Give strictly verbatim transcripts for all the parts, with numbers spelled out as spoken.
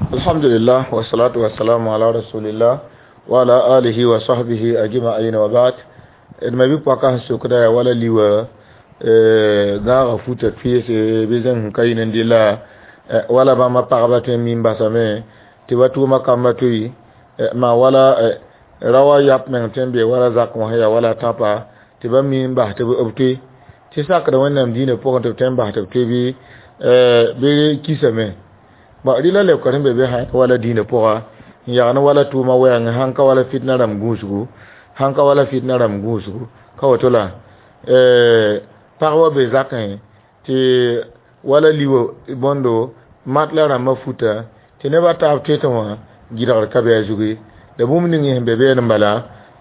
Alhamdulillah wa salatu wa salamu ala rasulillah wa ala alihi wa sahbihi ajma'in wa ba'd. D ma bɩ paka sẽn sokda yaa wala liwa gãaga futa peese bɩ zẽng sẽn ka yɩ n dɩlla wala bãmba pagba tõe n mi n basame tɩ ba tʋʋma kamba toɩ maa wala raoã yap meng tõe n be wala zak wã sẽn yaa wala tãpa tɩ ba mi n bas tɩ b toe tɩ sakda Wẽnnaam dĩinã pʋgẽ tɩ b tõe n bas tɩ b toe bɩ bɩ kisame. Rɩla leokr sẽn be be sã wala dĩinã pʋga n yagn wala tʋʋma wɛɛngẽ sãn ka wala fitna rãmb gũusgu sãn ka wala fitna rãmb gũusgu ka woto la pagba be zakẽ tɩ wala liwa bõndo mat la rãmbã futa tɩ nebã taab toetẽ wã gɩdgr ka be a zugu ye. La bũmb ning sẽn be beene n bala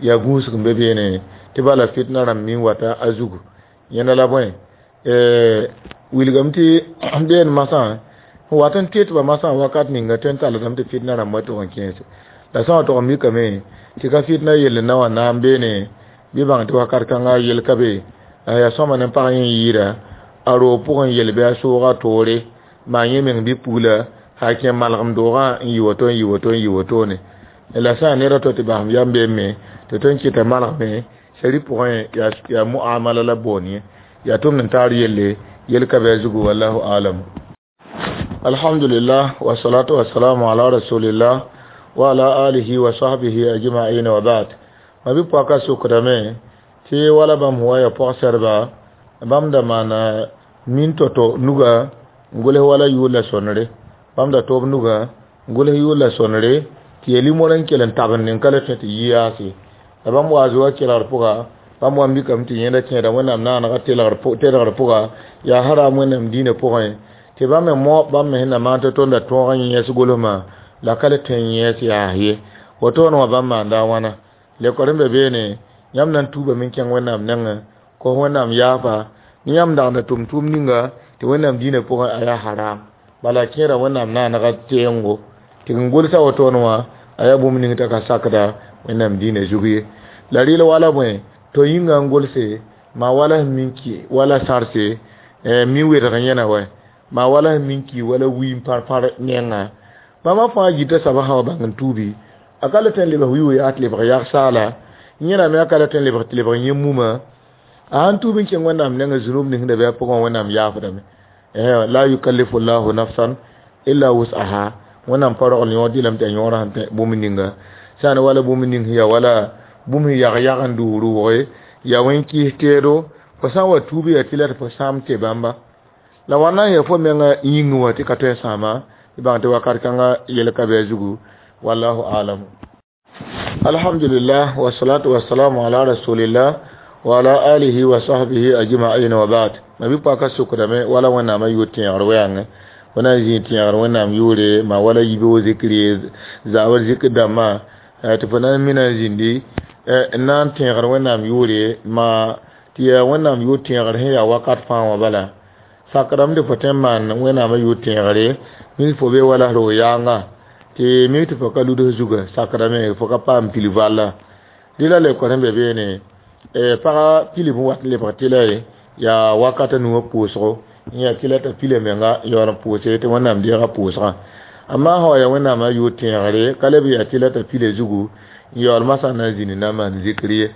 yaa gũusg n be beene tɩ bala fitna rãmb mi n wata a zugu. Yẽnda la bõe wilgame tɩ been masã n wat n toetba masã wakat ninga tõe n talldame tɩ fitna rãmb wa tʋg n kẽese. La sã n wa tʋg n mikame tɩ ka fitna yell n na wa naam beene bɩ bãng tɩ wakat kãnga yel ka be la yaa sõma ne pag yẽ yɩɩda a roog pʋgẽ yel bɩ a sooga toore maa yẽ meng bɩ pugla sã kẽ malgem doogã n yɩ woto n yɩ woto n yɩ wotone. La sã n ned a to tɩ basem yam beeme tɩ tõe n kɩta malgme sari pʋgẽ yaa muamala la boon ye yaa tʋmd n taar yelle yel ka bɩ a zugu wallahu alam. Alhamdulillah wa salatu wa salamu ala rasulillah wa ala alihi wa sahbihi ajma'in wa ba'd. Ma bɩ paka sokdame tɩ wala bãmb wa ya pɔg-sɛdba bãmb da maana min to-to nuga n gʋls wala yʋʋr la sõnre bãmb da toob nuga n gʋls yʋʋr la sõnre tɩ yaa limor n kell n tabend n ka le tõe tɩ yi yaase. La bãmb wa zoa kelgr pʋga bãmb wa n mikame tɩ yẽnda kẽeda Wẽnnaam naanega telgr pʋga yaa haram Wẽnnaam dĩinã pʋgẽ tɩ bãmb me moab bãmb me sẽn na maan tɩ tõnda tõog n yẽes golsmã la ka le tõe n yẽes yaas ye. Wotoone wã bãmb maanda a wãna lekor n be beene yãmb na n tuubame n kẽng Wẽnnaam nengẽ kos Wẽnnaam yaafa ne yãmb dagda tʋm tʋʋm ninga tɩ Wẽnnaam dĩinã pʋgẽ a yaa haram bala kẽeda Wẽnnaam naanega teengo tɩ n gʋlsa wotoone wã a yaa bũmb ning t'a ka sakda Wẽnnaam dĩinã zug ye. La rɩl wala bõe to yĩnga n gʋlse maa wala sẽn min ki wala sãrse mi wedg yẽna wɛ maa wala sẽn min ki wala wiim pãr-pãr nengã bãmba fãa yita soabã sã wa bãng n tuubi a ka le tõe n lebg wi yaa tɩ lebg yag-saala yẽna me a ka le tõe n lebg tɩ lebg yẽ mumã a sãn tuub n kẽng Wẽnnaam nengẽ zunub ning sẽn da be a pʋgẽ Wẽnnaam yaafdame. La yukallifu llahu nafsan illa wus'aha Wẽnnaam pa rogl yõod dɩlame tɩ a yõorã sẽn tẽ bũmb ninga sã n wala bũmb ning sẽn yaa wala bũmb sẽn yag yag n duus rʋʋge yaa wẽn-kɩs teedo fo sã n wa tuub yaa tɩ la tɩ fo sãam tɩ bãmba la wãnna n yaa fo menga yĩngẽ wã tɩ ka tõe n sãama tɩ bãng tɩ wakat kãnga yel ka be a zugu wallahu alam. Alhamdulillah wa salatu wa salamu ala rasulillah wa ala alihi wa sahbihi ajma'in wa ba'd. Ma bɩ paka sokdame wala Wẽnnaamã yʋʋr tẽegr wɛɛngẽ fo na n zĩig tẽegr Wẽnnaam yʋʋre maa wala yibeoog zikr ye zaabr zikr dãmbã tɩ fo na n mina n zĩndi n na n tẽegr Wẽnnaam yʋʋre maa tɩ yaa Wẽnnaam yʋʋr tẽegr sẽn yaa wakat fãa wã bala sakdame tɩ fo tõe n maan Wẽnnaamã yʋʋr tẽegre mik fo be wala roog yaanga tɩ mik tɩ fo ka luds zuga sakdame fo ka paam pil valla rɩla leokr sẽn be beene pagã pilem wat n lebg tɩla ye yaa wakat a nuwã pʋʋsgo n yaa tɩla t'a pila menga yaool n pʋʋse tɩ Wẽnnaam deega pʋʋsgã amma sã wa yaa Wẽnnaamã yʋʋr tẽegre ka leb yaa tɩla t'a pila zugu n yaool masã na n zĩnd na n maan zikr ye.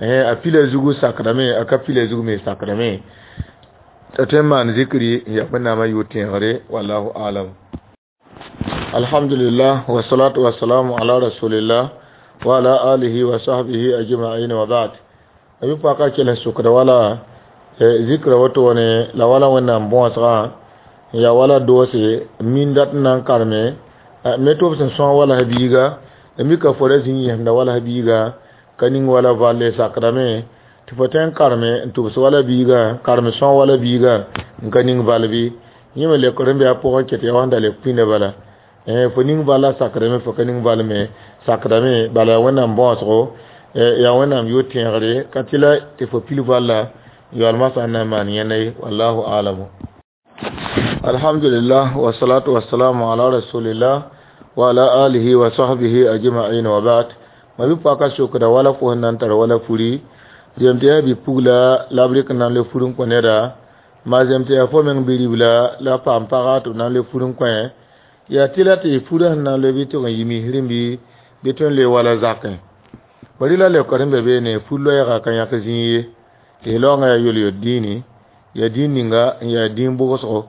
A pila zugu sakdame a ka pila zugu me sakdame t'a tõe n maan zikri n yaa Wẽnnaamã yʋʋr tẽegre wallahu alam. Alhamdulillah wa salatu wa salamu ala rasulillah wa ala alihi wa sahbihi ajma'in wa ba'd. Bɩ paka kell n sokda wala zikra wotone la wala Wẽnnaam bõosgã n yaa wala doose min dat n na n karme me tɩ b sẽn sõag wala biiga la mika fo ra zĩ n yẽsda wala biiga ka ning wala valle sakdame tɩ fo tõe n karme n tʋbs wala biiga karem sõag wala biiga n ka ning val bɩ yẽ me lekr n be a pʋgẽ ket yaa wãnda leb pĩnda bala fo ning valla sakdame fo ka ning val me sakdame bala yaa Wẽnnaam bõosgo yaa Wẽnnaam yʋʋr tẽegre ka tɩ la tɩ fo pil valla yaool masã n na n maan yẽnda ye wallahu alamu. Alhamdulillah wa salatu wa salamu ala rasulillah wa ala alihi wa sahbihi ajma'in wa ba'd. Ma bɩ paka sokda wala fo sẽn na n tar wala furi zem tɩ yaa bi-pugla la b rɩk n na n le fur n kõ neda maa zem tɩ yaa fo meng bi-ribla la paam paga tɩ b na n le fur n kõ Yaa tɩla tɩ furã sẽn na n loe bɩ tɩg n yi misrẽ bɩ bɩ tõe n loe wala zakẽ. Bari la leokd sẽn be beene fur loɛɛga ka yãk zĩig ye. Tɩ laoongã yaa yol-yol dĩini, yaa dĩin ninga n yaa dĩin bʋgsgo.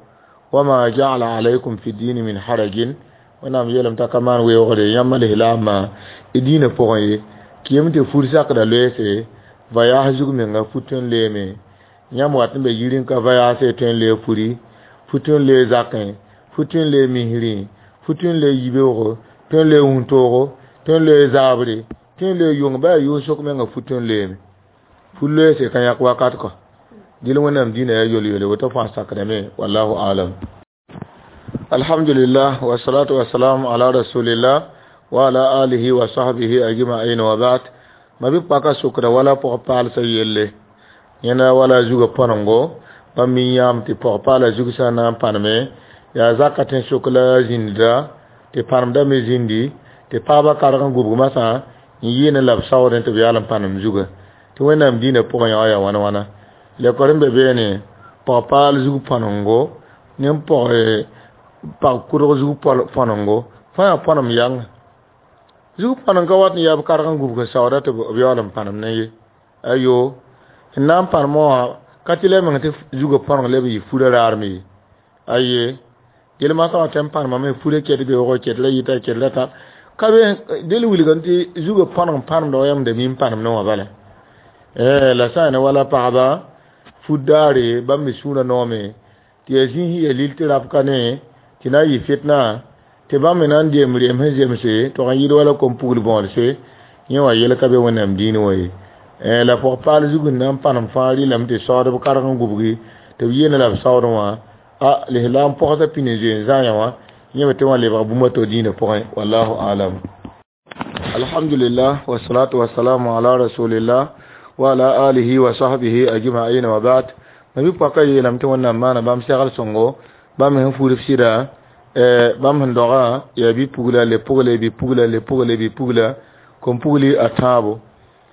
Wama ja'ala alaykum fi dini min harajin. Wẽnnaam yeelame t'a ka maan weoogre yãmb lislaambã y dĩinã pʋgẽ ye. Kɩyem tɩ fur sakda loeese vayaas zug menga fu tõe n loeeme. Yãmb wat n be yiri n ka vayaase tõe n loe furi, fu tõe n loe zakẽ, fu tõe n loe misrẽ, fu tõe n loe yibeoogo, tõe n loe wũntoogo, tõe n loe zaabre, tõe n loe yʋng bɩ yaa yʋʋg-sok menga fu tõe n loeeme. Fu loeese ka yãk wakat kɔ. Dɩl Wẽnnaam dĩinã yaa yol-yole woto fãa sakdame wallahu alam. Alhamdulillah wa salatu wa salam ala rasulillah wa ala alihi wa sahbihi ajma'in wa ba'd. Ma bi paka sokda wala pʋg paalsã yelle. Yẽnda wala zugã põnengo bãmb mi yãam tɩ pɔg paala zug sã n na n pãneme yaa zaka tẽ sok la zĩnda tɩ pãnemda me zĩndi tɩ pagbã karg n gubg masã n yɩɩne la b saoodẽ tɩ b yaal n pãnem zuga. Tɩ Wẽnnaam dĩinã pʋgẽ yã yaa wãna wãna. Leokd n be beene pɔg paal zug põnengo ne pɔg pag kʋdg zug põnengo fãa yaa põnem yãnga. Zug põneng ka wat n yaa b karg n gubg n saooda tɩ b yaool n pãnem ne ye. Ayo n na n pãnemã wã ka tɩ la meng tɩ zugã põneng leb n yɩ furã raarem ye. Aye dẽl masã wã tɩ n pãnemame furã ket beoogo ket la yita ket la tã ka be dẽl wilgame tɩ zugã põneng pãnemda wa yãmb da mi n pãnem ne wã bala. La sã n ne wala pagba fut daare bãmb me sũurã noome tɩ yaa zĩis yaa lil tɩ rap ka ne tɩ na n yɩ fitna tɩ bãmb me na n deem reem sẽn zemse tog n yɩɩd wala kom-pugl bõodse yẽ wã yel ka be Wẽnnaam dĩinẽ wã ye. La pɔg paal zug n na n pãnem fãa rɩlame tɩ saoodb karg n gubgi tɩ b yeene la b saoodẽ wã a lislaam pɔgsã pĩnd n zoe n zãaya wã yẽ me tɩ wã lebg bũmb a to dĩinã pʋgẽ wallahu alam. Alhamdulillah wa salatu wa salamu ala rasulillah wa ala alihi wa sahbihi ajma'in wa ba'd. Ma bi pɔka yeelame tɩ Wẽnnaam maana bãmb segl sõngo bãmb sẽn furb sɩda bãmb sẽn dogã yaa bi-pugla le pʋgle bi-pugla le pʋgle bi-pugla kom-pugli a tãabo.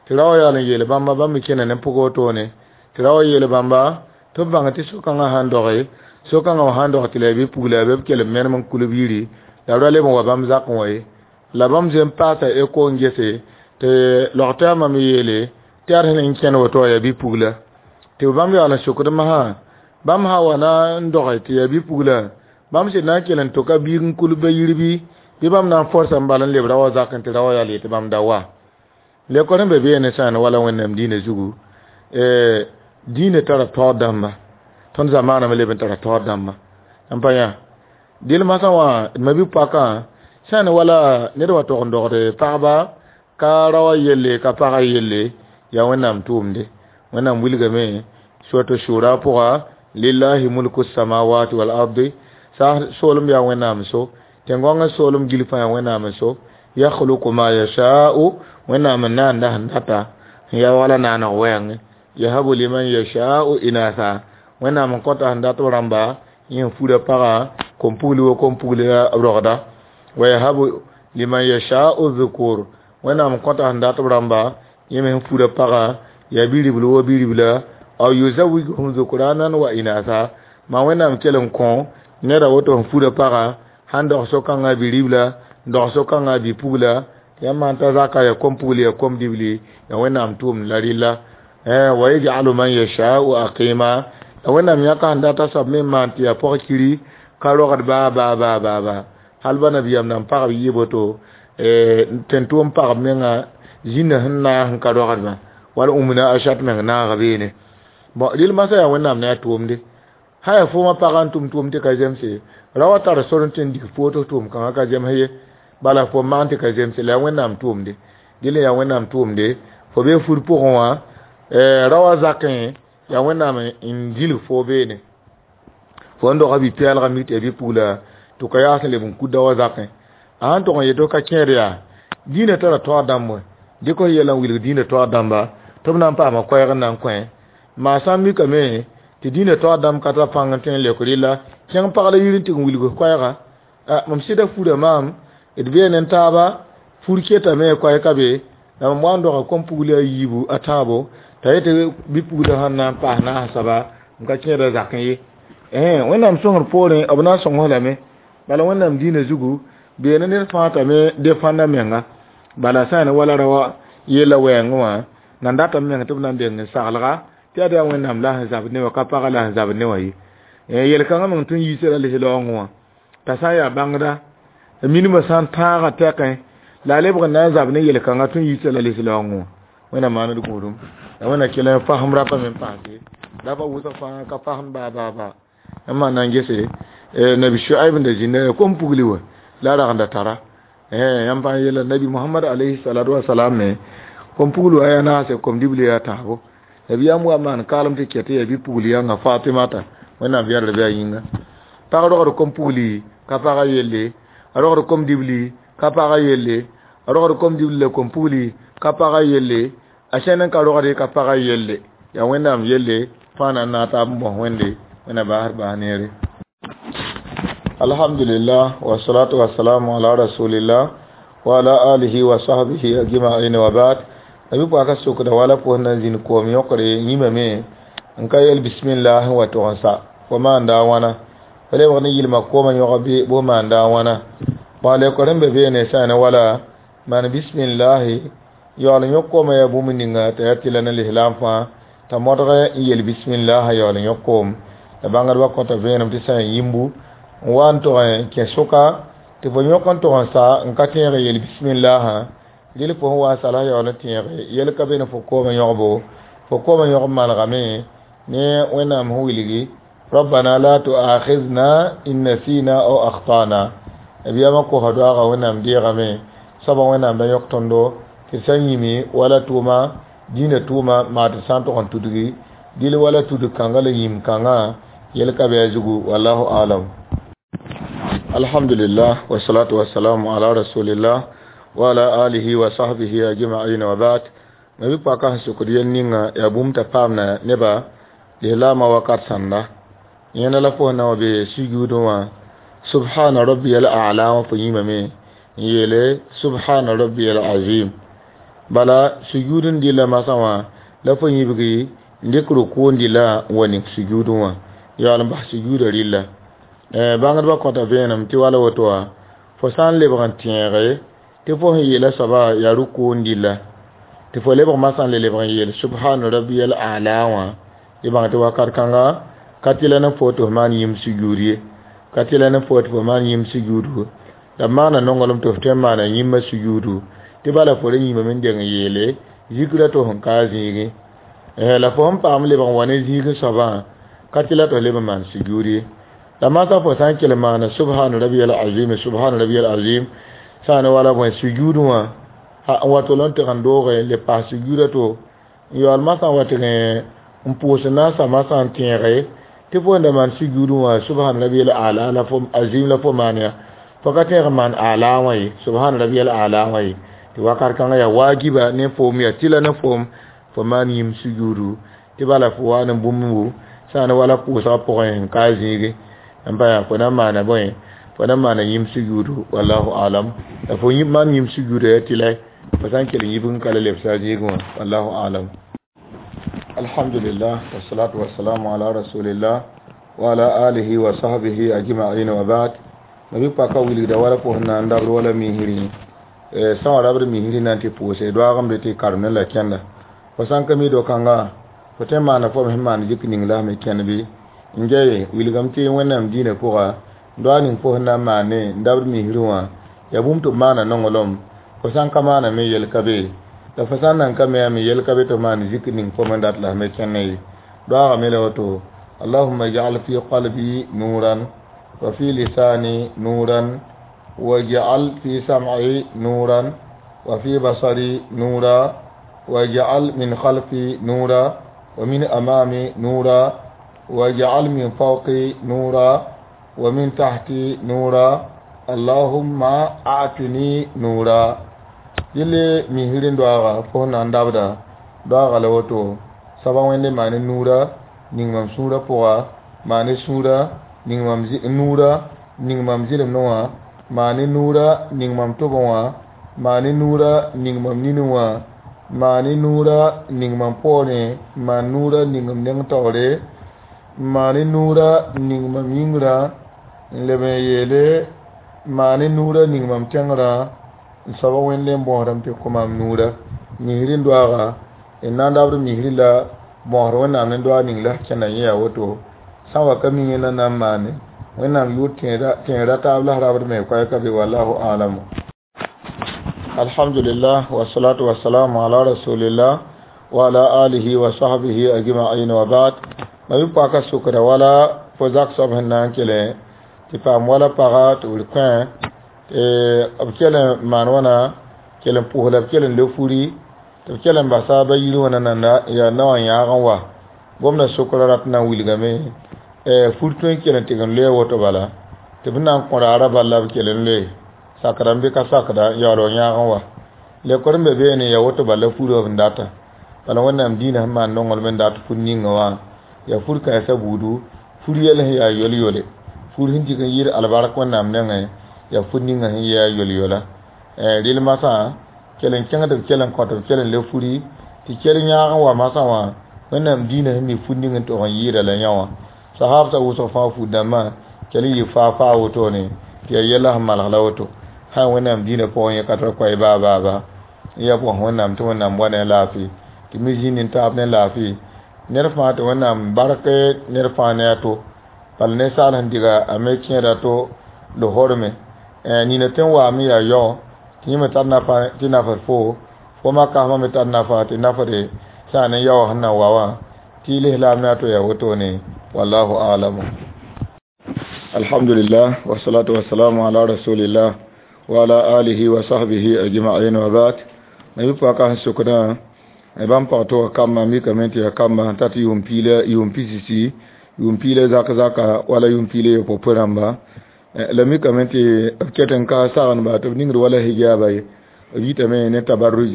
Tɩ ra wa yaal n yeel bãmba bãmb me kẽna ne pʋgã wotone tɩ ra wa yeel bãmba tɩ b bãng tɩ so-kãngã sãn doge so-kãngã wã sãn dog tɩ la yaa bi-pugla bɩ b kell n menem n kulb yiri la ra leb n wa bãmb zakẽ wã ye. La bãmb zoe n paasa eko n gese tɩ log-tɛɛmã me yeele tɩ yaa sẽn n kẽnd woto wã yaa bi-pugla. Tɩ bãmb yaool n sokd masã bãmb sã wa na n doge tɩ yaa bi-pugla bãmb sɩd na n kell n tʋka biig n kulb ba yir bɩ bɩ bãmb na n forsa n bal n leb ra wã zakẽ tɩ ra wã yaal yetɩ bãmb da wa. Leokd n be beene sã n wala Wẽnnaam dĩinã zugu dĩinã tara taoor dãmba tõnd zamaaname leb n tara taoor dãmba n pa yã. Dɩl masã wã ma bi-poakã sã n wala ned wa tog n dogd pagba ka ra wã yelle ka pagã yelle yaa Wẽnnaam tʋʋmde. Wẽnnaam wilgame surat shura pʋga lillahi mulku samawati wal ardi sa soolem yaa Wẽnnaam so tẽn-gõngã soolem gil fãa yaa Wẽnnaam so yakhluqu ma yasha'u Wẽnnaam n naanda sẽn data n yaa wala naaneg wɛɛngẽ yahabu liman yasha'u inatha Wẽnnaam n kõta sẽn dat b rãmba yẽ n fura pagã kom-pugli wa kom-pugli b rogda wa yahabu liman yasha'u dhukur Wẽnnaam n kõta sẽn dat b rãmba yẽ me sẽn fura pagã yaa bi-ribl wa bi-ribla aw yuzawijuhum dhukranan wa inatha ma Wẽnnaam kell n kõ neda woto sẽn fura pagã sãn dog so-kãngã bi-ribla n dog so-kãngã bi-pugla yãmb maan t'a zaka yaa kom-pugli yaa kom-dibli yaa Wẽnnaam tʋʋmd la rɩlla. Wa yaj'alu man yasha'u aqima la Wẽnnaam yãka sẽn dat a soab me n maan tɩ yaa pɔg-kiri ka rogd baa baa baa baa baa hal ba nabiyaam nan pagb yɩ boto tẽn-tʋʋm pagb menga zĩnã sẽn naag sẽn ka rogdbã wala ũmna a shat meng naaga beene. Bon rɩl masã yaa Wẽnnaam ne a tʋʋmde sã yaa foomã pagã n tʋm tʋʋm tɩ ka zemse ra wa tar sor n tɩ n dig foot tʋʋm kãngã ka zems ye bala fo maan tɩ ka zemse la yaa Wẽnnaam tʋʋmde dɩl yaa Wẽnnaam tʋʋmde fo be fur pʋgẽ wã ra wa zakẽ yaa Wẽnnaam n dilg fo beene fo n dogã bi-pɛɛlgã mik tɩ yaa bi-pugla tɩ ka yaas n leb n kud da wa zakẽ a sãn tog n yetɩ ka kẽed yaa dĩinã tara taoor dãmb wã dɩk f yɛla n wilg dĩinã taoor dãmba tɩ b na n paama koɛɛg n na n kõ maa sã n mikame tɩ dĩinã taoor dãmb ka tar pãng n tõe n leok rɩlla kẽng pag la yir n tɩg n wilg koɛɛga mam sɩda furã maam d beene n taaba fur ketame koɛɛ ka be la mam wa n doga kom-pugli a yiibu a tãabo t'a yetɩ bi-pugla sẽn na n paas naas soaba n ka kẽeda zakẽ ye. Wẽnnaam sõngr poorẽ b na n sõng lame Bala wẽnnaam dĩinã zugu beene ned fãa t'a me defãnda menga. Bala sã n yaa wala raoã yella wɛɛngẽ wã nan datame meng tɩ b na n deng n saglga tɩ yaa yaa wẽnnaam la sẽn zabd ne wã ka pagã la sẽn zabd ne wã ye. Yel-kãngã meng tõe n yiisa la lis-laoongẽ wã t'a sã n yaa bãngda minimã sã n tãagã tɛkẽ la a lebg n na n zab ne yel-kãngã tõe n yiisa la lis-laoongẽ wã. Wẽnnaam maan d gũudum la wẽnna kell n fasem rapa me n paase rapa wʋsg fãa ka fasem baa baa baa n maan na n gese nabi Shuaib n da zĩnda kom pugli wa la a rag n da tara. Yãmb fãa yeela nabi Mohamad alayhi salatu wasalam me kom pugl wa yaa naase kom dibli yaa tãabo. Nabiyaam wa maan kaalem tɩ ket yaa bi-pugl yãnga Fatimata wẽnnaam yɛrd bɩ a yĩnga. Pag rogd kom pugli ka pagã yelle, a rogd kom dibli ka pagã yelle, a rogd kom dibli la kom pugli ka pagã yelle, a sẽn n ka rogde ka pagã yelle. Yaa wẽnnaam yelle fãa na n naag taab n bõs wẽnde wẽnna baasd baas neere. Alhamdulillah wa salatu wa salamu ala rasulillah wa ala alihi wa sahbihi ajma'in wa ba'd. Nabi pʋaka sokda wala pʋs na n zĩnd koom yõkre yĩmame n ka yel bismillah n wa tʋg n sa fo maanda a wãna. Fo lebg ne yɩlma koomã yõg bɩ bʋ maanda a wãna. Bõ a leokr n be beene sã n wala maan bismillahi yaool n yõk koomã yaa bũmb ninga t'a yaa tɩla ne lislaam fãa t'a modg n yel bismillah yaool n yõk koom. La bãngdbã kõta vẽenem tɩ sã n yĩmbu n wa n tʋg n kẽ sʋka tɩ fo yõk n tʋg n sa n ka tẽeg n yel bismillah rɩl fo sẽn wa n sala yaool n tẽege yel ka be ne fo koomã yõgbo. Fo koomã yõg malgame ne wẽnnaam sẽn wilgi rabbana la tu'akhidhna in nasina aw akhtana. Nabiyaamã kosa doaagã wẽnnaam deegame soabã wẽnnaam da yõk tõndo tɩ sã n yĩme wala tʋʋma dĩinã tʋʋma maa tɩ sã n tʋg n tudgi dɩl wala tudg kãngã la yĩm kãngã yel ka bɩ a zugu wallahu alam. Alhamdulillah wa salatu wa salamu ala rasulillah wa ala alihi wa sahbihi ajma'in wa ba'd. Nabi paka sẽn sokd yel ninga yaa bũmb t'a paamna neba lislaamã wakat sãnda yẽnda la fo sẽn na n wa be sujuudẽ wã subhana rabbiyal a'la wã fo yĩmame n yeele subhana rabbiyal azim. Bala sujuud n dɩla masã wã la fo yĩbgi n dɩk rʋkʋ n dɩla n wa ning sujuudẽ wã yaool n bas sujuudã rɩlla. Bãngdbã kõta vẽenem tɩ wala woto wã fo sã n lebg n tẽege tɩ fo sẽn yeela soabã yaa rʋkʋ n dɩlla tɩ fo lebg masã n le lebg n yeel subhana rabbiyal a'la wã tɩ bãng tɩ wakat kãnga ka tɩla ne fo tɩ f maan yĩm sujuud ye, ka tɩla ne fo tɩ fo maan yĩm sujuudu. La b maana nonglem tɩ f tõe n maana yĩmã sujuudu tɩ bala fo ra yĩmame n deng n yeele zikra tɩ f sẽn ka a zĩigẽ. La fo sẽn paam lebg n wa ne zĩigẽ soabã ka tɩla tɩ f leb n maan sujuud ye. La masã fo sã n kell n maana subhana rabbiyal azim subhana rabbiyal azim sã n wala bõe sujuudẽ wã n wa tol n tɩg n dooge le paas sujuudã to n yaool masã n wa tɩg n pʋʋs naasã masã n tẽege tɩ fo n da maan sujuudẽ wã subhana rabbiyal a'la la fo azim la fo maan ya fo ka tẽeg n maan a'la wã ye subhana rabbiyal a'la wã ye tɩ wakat kãngã yaa waajiba ne foom yaa tɩla ne foom fo maan yĩm sujuudu tɩ bala fo wa ne bũmb sã n wala pʋʋsgã pʋgẽ n ka a zĩige n pa yaa fo na n maana bõe fo na n maana yĩm sujuudu wallahu alam. La fo maan yĩm sujuudã yaa tɩla fo sã n kell n yibg n ka la lebsa a zĩigẽ wã wallahu alam. Alhamdulillah wa salatu wa salamu ala rasulillah wa ala alihi wa sahbihi ajma'in wa ba'd. Nabi paka wilgda wala fo sẽn na n dabd wala misri sã wã rabd misri na n tɩ pʋʋse doaag n be tɩ karem ne la kẽnda. Fo sã n ka mi do-kãnga fo tõe n maana fo sẽn maan zik ning la me kẽnd bɩ n gɛye wilgame tɩ wẽnnaam dĩinã pʋga doa ning fo sẽn na n maane n dabd misri wã yaa bũmb tɩ b maana nonglem fo sã n ka maana me yel ka be la fo sã n nan ka me yaa me yel ka be tɩ f maan zik ning fo me dat la f me kẽnna ye. Doaagame la woto allahumma ij'al fi qalbi nuran wa fi lisani nuran waj'al fi sam'i nuran wa fi basari nura waj'al min khalfi nura wa min amami nura waj'al min fawqi nura wa min tahti nura allahumma a'tini nura. Yelle misri doaaga fo sẽn na n dabda doaaga la woto soaba wẽnde maane nuura ning mam sũurã pʋga maane sũurã ning mam nuura ning mam zɩlemdẽ wã maane nuura ning mam tʋbẽ wã maane nuura ning mam ninẽ wã maane nuura ning mam poorẽ maan nuura ning m neng taoore maane nuura ning mam yĩngrã n leb n yeele Maane nuurã ning mam tẽngrã n soaba wẽnde n bõosdame tɩ kõ mam nuurã misri n doaaga n na n dabd misri la bõosd wẽnnaam ne doaag ning la kẽnda yẽ yaa woto sã n wa ka mi yẽnda na n maane wẽnnaam yʋʋr tẽedra taab la rabd me koɛɛg ka be wallahu alamu. Alhamdulillah wasalatu wasalamu ala rasulillah wa ala alihi wa sahbihi ajma'in wa ba'd. Ma bi paka sukra wala fo zak soab sẽn na n kele tɩ paam wala paga tɩ b kõ b kell n maan wãna kell n pʋs la b kell n le furi tɩ b kell n basa ba yir wã nananda yaa naowã yãag n wa gomda sokra rat na n wilgame fur tõe n kell n tɩg n loe woto bala tɩ b na n kõ raara bal la b kell n loe sakda n bɩ ka sakda n yaool n yãag n wa lekor n be beene ya woto bala furã b n data bala wẽnnaam dĩinã sẽn maan nonglem n dat fur ninga wã yaa fur kãensã buudu fur yɛl sẽn yaa yol-yole fur sẽn dig n yɩɩd albark wẽnnaam nengẽ yaa fur ninga sẽn yɩ yaa yol-yola rel masã kell n kẽng tɩ b kell n kõ tɩ b kell n le furi tɩ kell yãag n wa masã wã wẽnnaam dĩinã sẽn mi fur ning n tog n yɩɩda la yã wã sahabsã wʋsg fãa fur dãmbã kell n yɩ faa faa wotone tɩ yaa yɛla sẽn malg la woto sã wẽnnaam dĩinã pʋgẽ yẽ ka tar koɛɛ baa baa ba n yaa bõs wẽnnaam tɩ wẽnnaam wa ne laafɩ tɩ mi zĩnd n taab ne laafɩ ned fãa tɩ wẽnnaam bark ned fãa ne a to bala ninsaal sẽn diga a me kẽeda to lohorme nina tõe n waame yaa yao tɩ yẽ me tar nafa tɩ nafd fo fo makasmã me tar nafa tɩ nafde sã ne yaoã sẽn na wa wã tɩ y lislaam ne a to yaa wotone wallahu alamu. Alhamdulillah wasalatu wasalamu ala rasulillah wa ala alihi wa sahbihi ajma'in wa ba'd. Ma bɩ paka sẽn sokdã bãmb pag tʋga kambã mikame tɩ yaa kambã t'a tɩ yʋʋm piila yʋʋm pisisi yʋʋm piila zak zaka wala yʋʋm piila yopoe rãmba la mikame tɩ b ket n ka sagendba tɩ b ningd wala hijaaba ye b yitame ne tabarruj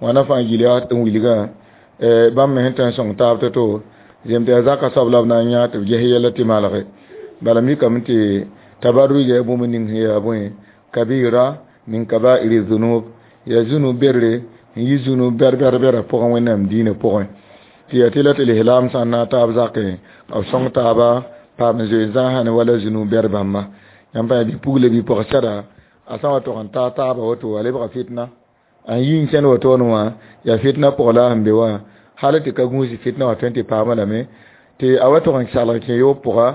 wãna fãa gil yaa n wilgã bãmb me sẽn tõe n sõng taab to-to zem tɩ yaa zaka soab la b na n yã tɩ b ges yɛla tɩ malge bala mikame tɩ tabarruj yaa bũmb ning sẽn yaa bõe kabira min kabairi zunub yaa zunub berre n yi zunub bɛr bɛr bɛrã pʋgẽ wẽnnaam diinã pʋgẽ tɩ yaa tɩ la tɩ lislaam sã n na taab zakẽ b sõng taaba paam n zoe zãasã ne wala zunub bɛr bãmba yãmb pa bi-pugla bi-pɔg-sɛda a sã wa tog n taa taaba woto a lebga fitna a yi n kẽnd wotone wã yaa fitna pʋg la sẽn be wã hal tɩ ka gũusi fitna wã tõe tɩ paama lame tɩ a wa tog n salg kẽ yoob pʋga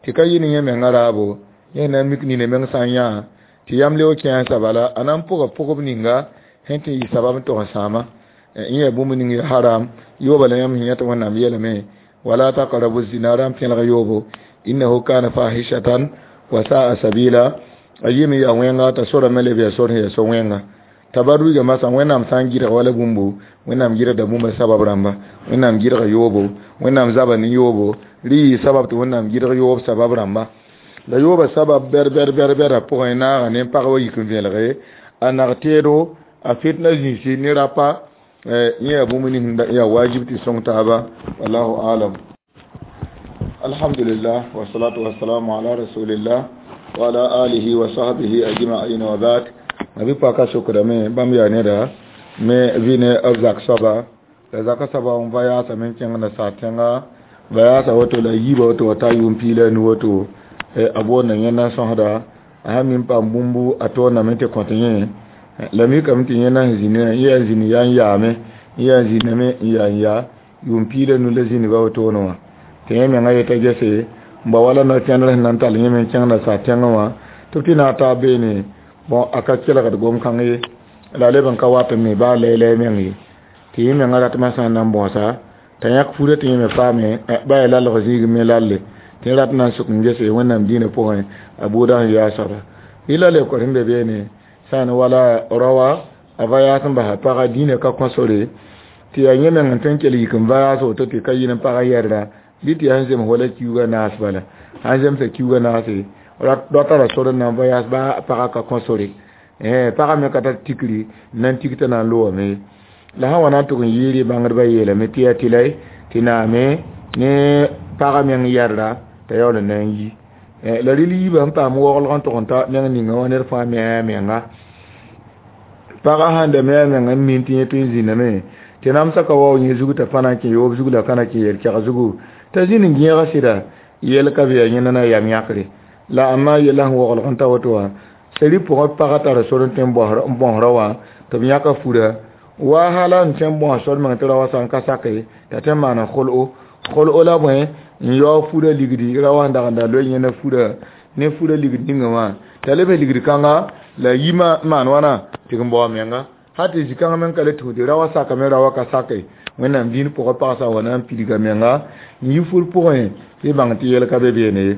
tɩ ka yɩ ne yẽ menga raabo yẽ na n mik nina meng sã n yã tɩ yam leoog kẽesa bala a na n pʋga pʋgb ninga sẽn tɩ n yɩ sabab n tog n sãama yẽ yaa bũmb ning yaa haram yooba la yãmb sẽn yã tɩ wẽnnaam yeelame wala taqrabu zina ra n pẽlg yoobo innahu kana fahishatan wa sa'a sabila a yɩme yaa wẽnga t'a sorame leb yaa sor sẽn yaa so wẽnga tabarruga masã wẽnnaam sã n gɩdg wala bũmbo wẽnnaam gɩdgda bũmba sabab rãmba wẽnnaam gɩdga yoobo wẽnnaam zaba ne yoobo rɩ yɩ sabab tɩ wẽnnaam gɩdg yoob sabab rãmba la yooba sabab bɛr bɛr bɛr bɛrã pʋgẽ naaga ne pag wa yik n vẽelge a nag teedo a fitna zĩisi ne rapa yẽ yaa bũmb ning yaa wajib tɩ sõng taaba wallahu alam. Alhamdulillah wasalatu wasalamu ala rasulillah wa ala alihi wa sahbihi ajma'in wa ba'd. Ma bɩ paka sokdame bãmb yaa neda me vɩ ne b zak soaba la zaka soaba n va yaasame n kẽng nasaar tẽnga va yaasa woto la yiiba woto wa ta yʋʋm piila a nu woto a boonda yẽnda n sõsda a sã mi n paam bũmbu a tooname tɩ kõt yẽ la mikame tɩ yẽnda sẽn zĩnd yẽ yaa zĩnd yaa n yaame yaa zĩndame n yaa n yaa yʋʋm piila nu la zĩndba wotone wã tɩ yẽ menga yeta gese n ba wala no-kẽndr sẽn na n tall yẽ me n kẽng nasaar tẽngã wã tɩ b tɩ naag taab beene bon a ka kelgd gom-kãng ye la a leb n ka wat n me baa lɛɛlɛɛ meng ye tɩ yẽ menga ratmã sã n na n bõosa t'a yãk furã tɩ yẽ me paame ba yaa lalg zĩig me lalle tɩ yẽ rat na n sʋk n gese wẽnnaam dĩinã pʋgẽ a buudã sẽn yaa soaba rɩ la lekor sẽn be beene sã n wala raoa a va yaas n basa paga dĩinã ka kõ sore tɩ yaa yẽ meng n tõe n kell yik n va yaas woto tɩ ka yɩ n pagã yɛrda bɩ tɩ yaa sẽn zems wala kiuugã naas bala sãn zemsa kiuugã naase dao tara sor n na n va yaas baa pagã ka kõ sore pagã me ka tar tikri n na n tik t'a na n loome la sã wa na n tʋg n yɩɩr bãngdbã yeelame tɩ yaa tɩ la tɩ naame ne pagã meng yɛrda t'a yaool n na n yi la rɩl yiibã sẽn paam waoglg n tʋg n ta meng ninga wã ned fãa me a menga pagã sãn da me a meng n min tɩ yẽ tõe n zĩndame tɩ namsã ka wao yẽ zug t'a pa na n kẽ yoob zug la ka na kẽ yel-kɛg zugu t'a zĩnd n gẽega sɩda yɛl ka be yaa yẽnda na yam yãkre la amma yɛla sẽn waoglg n ta woto wã Sari pʋgẽ pagã tara sor n tõe n bõs rao wã tɩ b yãka fura. Wahala n tõe n bõs sor meng tɩ rao wã sã n ka sake t'a tõe n maana kol'o. Kol'o la bõe n yaoog furã ligdi rao wã sẽn dag n da loe yẽnda furã ne furã ligd ninga wã t'a leb ligd kãnga la yi maan wãna tɩ n bao a menga hal tɩ zĩ-kãngã meng ka le tũud rao wã sakame rao wã ka sake. Wẽnnaam dĩin pʋgã pag sã n wa na n pidga menga n yi fur pʋgẽ tɩ y bãng tɩ yɛl ka be beene ye.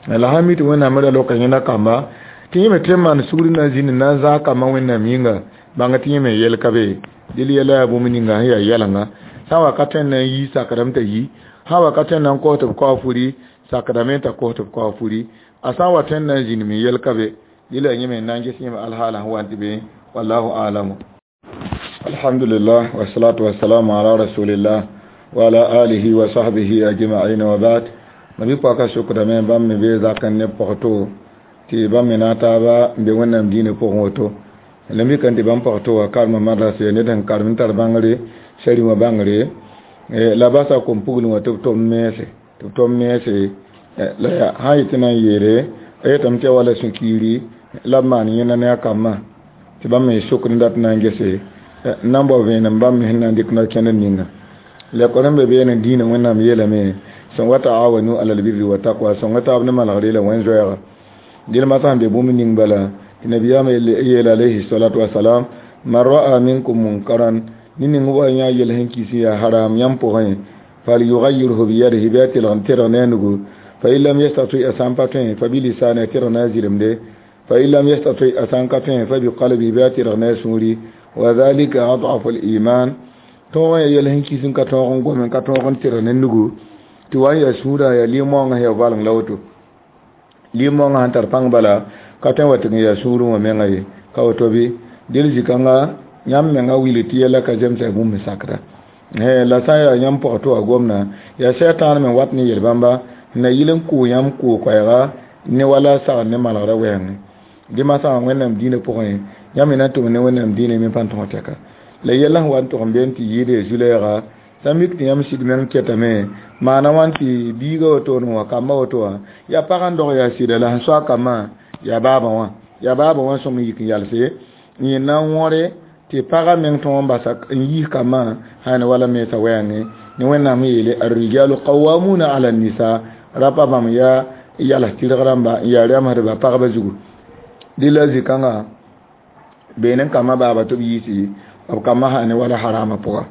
La sã n mi tɩ Wẽnnaam me ra loka yẽnda kamba tɩ yẽ me tõe n maan sugr na n zĩnd n na n zãag kambã Wẽnnaam yĩnga bãng tɩ yẽ me yɛl ka be. Dɩl yɛla yaa bũmb ninga sẽn yaa yɛlenga sã n wa ka tõe n na n yi sakrame t'a yi, sã n wa ka tõe n na n kos tɩ b kao furi sakrame t'a kos tɩ b kao furi, a sã n wa tõe n na n zĩnd me yɛl ka be. Dɩl yaa yẽ me n na n ges yẽ me alhaala sẽn wa n tɩ be. Wallahu a'lamu. Alhamdulillah wassalatu wassalamu ala rasulillah wa ala alihi wa sahbihi ajma'in wa ba'd. Mabi-pɔka sokdame bãmb me bee zak n ne pɔgto tɩ bãmb me na n taaba n be Wẽnnaam diinã pʋgẽ woto. La mikame tɩ bãmb pɔgto wã karema madrasa yaa ned sẽn karem n tar bãngre sari wã bãngre la basa kom-puglẽ wã tɩ b tom mense tɩ b tom mense la yaa sã n yetɩ na n yeele a yetame tɩ yaa wala sũ-kiiri la b maan yẽnda ne a kambã tɩ bãmb me sokd n dat n na n gese n na n bao vẽenem bãmb me sẽn na n dɩk no-kẽndr ninga. La kõ n be beene dĩinã Wẽnnaam yeelame sõnga wa ta'awanu alal birri wa taqwa sõnga taab ne malgre la wẽn-zoɛɛga. Dẽl masã sẽn be bũmb ning bala tɩ nabiyaamã yeela alayhi salatu wasalam man ra'a minkum munkaran ne ning wa yã yel sẽn kis n yaa haram yãmb pʋgẽ falyughayyirhu biyadihi bɩ a tɩlg n tẽrg ne a nugu fa in lam yastati a sã n pa tõe fa bilisani a tẽrg ne a zɩremde fa in lam yastati a sã n ka tõe fa biqalbihi bɩ a tẽrg ne a sũuri wa dhalika ad'afu al-iman. Tõog n yaa yel sẽn kis n ka tõog n gom n ka tõog n tẽrg ne nugu tɩ wa n yaa sũurã yaa lim-moongã sẽn yaa valeng la woto. Lim-moongã sẽn tar pãng bala ka tõe n wa tɩg n yaa sũurẽ wã menga ye ka woto bɩ. Dẽl zĩ-kãnga yãmb menga wilg tɩ yɛla ka zemsa bũmb sakra. La sã n yaa yãmb pɔgɔ tɩ wa gomna yaa sɛtãan me wat ne yel-bãmba n na yɩl n kʋʋ yãmb kʋʋ-koɛɛga ne wala sagr ne malgrã wɛɛngẽ. Dẽ masã Wẽnnaam dĩinã pʋgẽ yãmb me na n tʋm ne Wẽnnaam dĩinã me pa tõog tɛka. La yɛla sẽn wa n tʋg n be n tɩ yɩɩd zu-lɛɛga sã n mik tɩ yãmb sɩd meng kɛtame maana wãn tɩ biiga wotone wã kambã woto wã yaa pag n dog yaa sɩda la sẽn soa kambã yaa baabã wã yaa baabã wã sõm n yik n yalse n yẽ na n wõre tɩ pagã meng tõog n basa n yiis kambã sã ne wala mensã wɛɛngẽ ne Wẽnnaam yeele arrijalu qawwamuna ala nisa rapa bãmb yaa yals tɩrg rãmba n yaa rɛmsdba pagba zugu. Dɩ la zĩ-kãngã beene n kambã baaba tɩ b yiisi b kambã sã ne wala harama pʋga